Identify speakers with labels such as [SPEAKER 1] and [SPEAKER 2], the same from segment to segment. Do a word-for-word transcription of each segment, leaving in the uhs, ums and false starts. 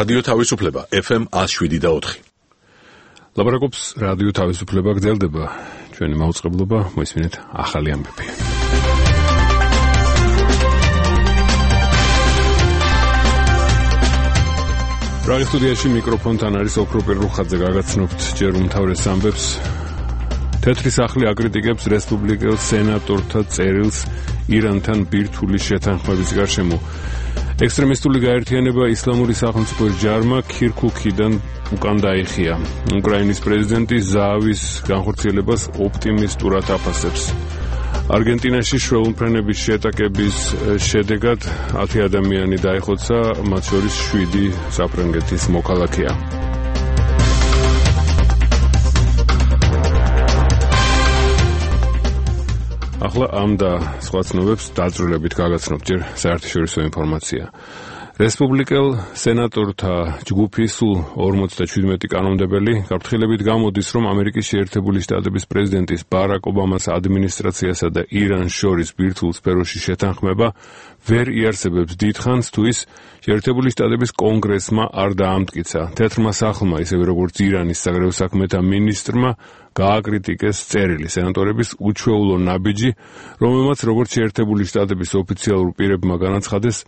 [SPEAKER 1] რადიო თავისუფლება ეფ ემ ათს შვიდი და ოთხი.
[SPEAKER 2] ლაპარაკობს რადიო თავისუფლება, გრძელდება ჩვენი მაუწყებლობა, მოისმინეთ ახალი ამბები. პრაღის სტუდიაში მიკროფონთან არის ოქროპირ რუხაძე, გაგაცნობთ ჯერ უმთავრეს ამბებს. თეთრი სახლი აკრიტიკებს რესპუბლიკელ სენატორთა წერილს ირანთან ბირთვული შეთანხმების გარშემო. ექსტრემისტული გაერთიანება ისლამური სახელმწიფო ჯარმა ქირქუქიდან უკან დაიხია. უკრაინის პრეზიდენტი ზაავის განხორციელებას ოპტიმისტურად აფასებს. არგენტინაში შვეულმფრენების შეტაკების შედეგად ათი ადამიანი დაიხოცა, მათ შორის შვიდი საფრანგეთის მოქალაქეა. ახლა ამ და სხვა ცნობებს დაწვრილებით გაგაცნობთ ჯერ საერთაშორისო ინფორმაცია. რესპუბლიკელ სენატორთა ჯგუფის სულ ორმოცდაჩვიდმეტი კანონმდებელი გაფრთხილებით გამოდის, რომ ამერიკის შეერთებული შტატების პრეზიდენტის ბარაკ ობამას ადმინისტრაციასა და ირანს შორის ბირთვულ სფეროში შეთანხმება ვერ იარსებებს დიდხანს, თუ ის შეერთებული შტატების კონგრესმა არ დაამტკიცა. თეთრმა სახლმა, ისევე როგორც ირანის საგარეო საქმეთა მინისტრმა, გააკრიტიკეს წერილი სენატორების უჩვეულო ნაბიჯი, რომელმაც როგორც შეერთებული შტატების ოფიციალურ პირებმა განაცხადეს,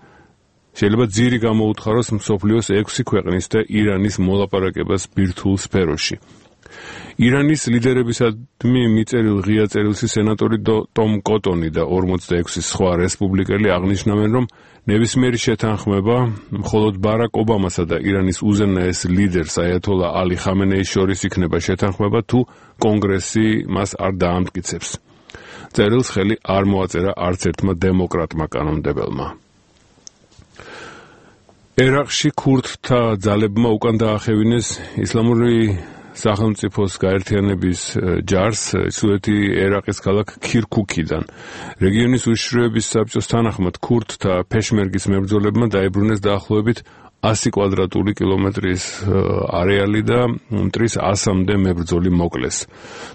[SPEAKER 2] შეიძლება ძირი გამოუთხაროს მსოფლიოს ექვსი ქვეყნის და ირანის მოლაპარაკებას ბირთვულ სფეროში. ირანის ლიდერებისადმი მიწერილ ღია წერილში სენატორი ტომ კოტონი და ორმოცდაექვსი სხვა რესპუბლიკელი აღნიშნავენ, რომ ნებისმიერი შეთანხმება მხოლოდ ბარაკ ობამასა და ირანის უზენაეს ლიდერს აიათოლა ალი ხამენეის შორის იქნება შეთანხმება, თუ კონგრესი მას არ დაამტკიცებს. წერილს ხელი არ მოაწერა არც ერთმა დემოკრატმა კანონმდებელმა. ერაყში ქურდთა ძალებმა უკან დაახევინეს ისლამური სახელმწიფოს გაერთიანების ჯარს ჩრდილოეთი ერაყის ქალაქ ქირქუქიდან. რეგიონის უშიშროების საბჭოს თანახმად ქურდთა ფეშმერგის მებრძოლებმა დაიბრუნეს დაახლოებით ასი კვადრატული კილომეტრის არეალი და მტრის ასამდე მებრძოლი მოკლეს.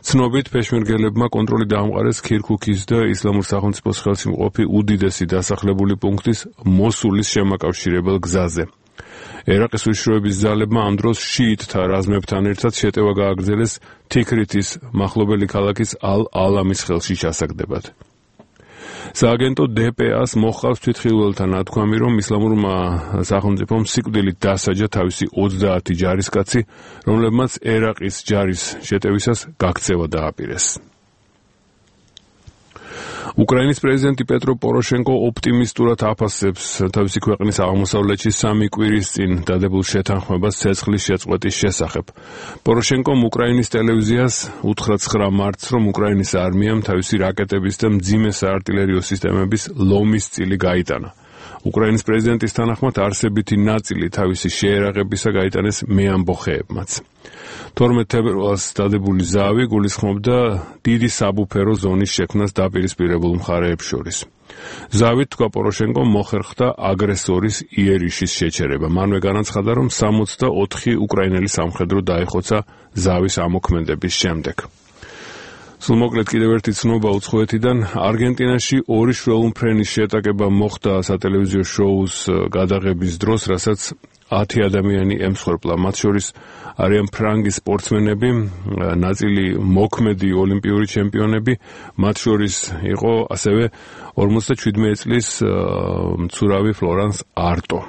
[SPEAKER 2] ცნობით, ფეშმერგელებმა კონტროლი დაამყარეს ქირქუქის და ისლამურ სახელმწიფოს ხელში მყოფი უდიდესი დასახლებული პუნქტის მოსულის შემაკავშირებელ გზაზე. ერაყის უშიშროების ძალებმა ამ დროს შიიტთა რაზმებთან ერთად შეტევა გააგრძელეს თიქრითის მახლობელი ქალაქის ალ-ალამის ხელში ჩასაგდებად. სააგენტო დე პე ას მოჰყავს თვითხილველთა ნათქვამი, რომ ისლამურმა სახელმწიფომ სიკვდილით დასაჯა თავისი ოცდაათი ჯარისკაცი, რომლებმაც ერაყის ჯარის შეტევისას გაქცევა დააპირეს. უკრაინის პრეზიდენტი პეტრო პოროშენკო ოპტიმისტურად აფასებს თავისი ქვეყნის აღმოსავლეთში სამი კვირის წინ დადებულ შეთანხმებას ცეცხლის შეწყვეტის შესახებ. პოროშენკომ უკრაინის ტელევიზიას უთხრა ცხრა მარტს, რომ უკრაინის არმიამ თავისი რაკეტების და მძიმე საარტილერიო სისტემების ლომის წილი გაიტანა. უკრაინის პრეზიდენტის თანახმად არსებითი ნაწილი თავისი შეერაღებისა გაიტანეს მეამბოხეებმაც. თორმეტ თებერვალს დადებული ზავი გულისხმობდა დიდი საბუფერო ზონის შექმნას დაპირისპირებულ მხარეებს შორის. ზავით, თქვა პოროშენკომ, მოხერხდა აგრესორის იერიშის შეჩერება. მანვე განაცხადა, რომ სამოცდაოთხი უკრაინელი სამხედრო დაიხოცა ზავის ამოქმედების შემდეგ. სულ მოკლედ კიდევ ერთი ცნობა უცხოეთიდან. არგენტინაში ორი შვეულმფრენის შეტაკება მოხდა სატელევიზიო შოუს გადაღების დროს, რასაც ათი ადამიანი ემსხვერპლა. მათ შორის არიან ფრანგი სპორტსმენები, ნაწილი მოქმედი ოლიმპიური ჩემპიონები, მათ შორის იყო ასევე ორმოცდაჩვიდმეტი წლის მცურავი ფლორანს არტო.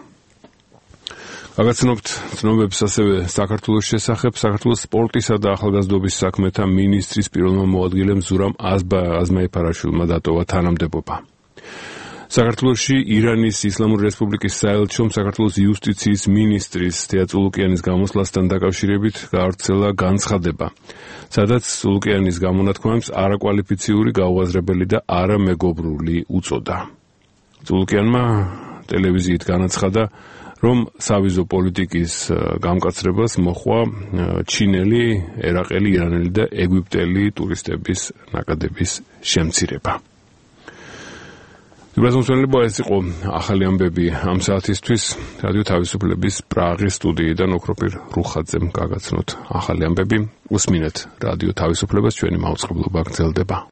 [SPEAKER 2] გაგაცნობთ ცნობებს ასევე საქართველოს შესახებ. საქართველოს სპორტისა და ახალგაზრდობის საქმეთა მინისტრის პირველმა მოადგილემ ზურამ აზმაიფარაშვილმა დატოვა თანამდებობა. საქართველოში ირანის ისლამური რესპუბლიკის საელჩომ საქართველოს იუსტიციის მინისტრის თეა წულუკიანის გამოსვლასთან დაკავშირებით გაავრცელა განცხადება, სადაც წულუკიანის გამონათქვამებს არაკვალიფიციური, გაუაზრებელი და არამეგობრული უწოდა. წულუკიანმა ტელევიზიით განაცხადა, რომ სავიზო პოლიტიკის გამკაცრებას მოჰყვა ჩინელი, ერაყელი, ირანელი და ეგვიპტელი ტურისტების ნაკადების შემცირება. Იბრძოლება ეს იყო ახალი ამბები ამ საათისთვის. რადიო თავისუფლების პრაღის სტუდიიდან ოქროპირ რუხაძემ გაგაცნოთ ახალი ამბები. უსმინეთ რადიო თავისუფლებას, ჩვენი მაუწყებლობა გრძელდება.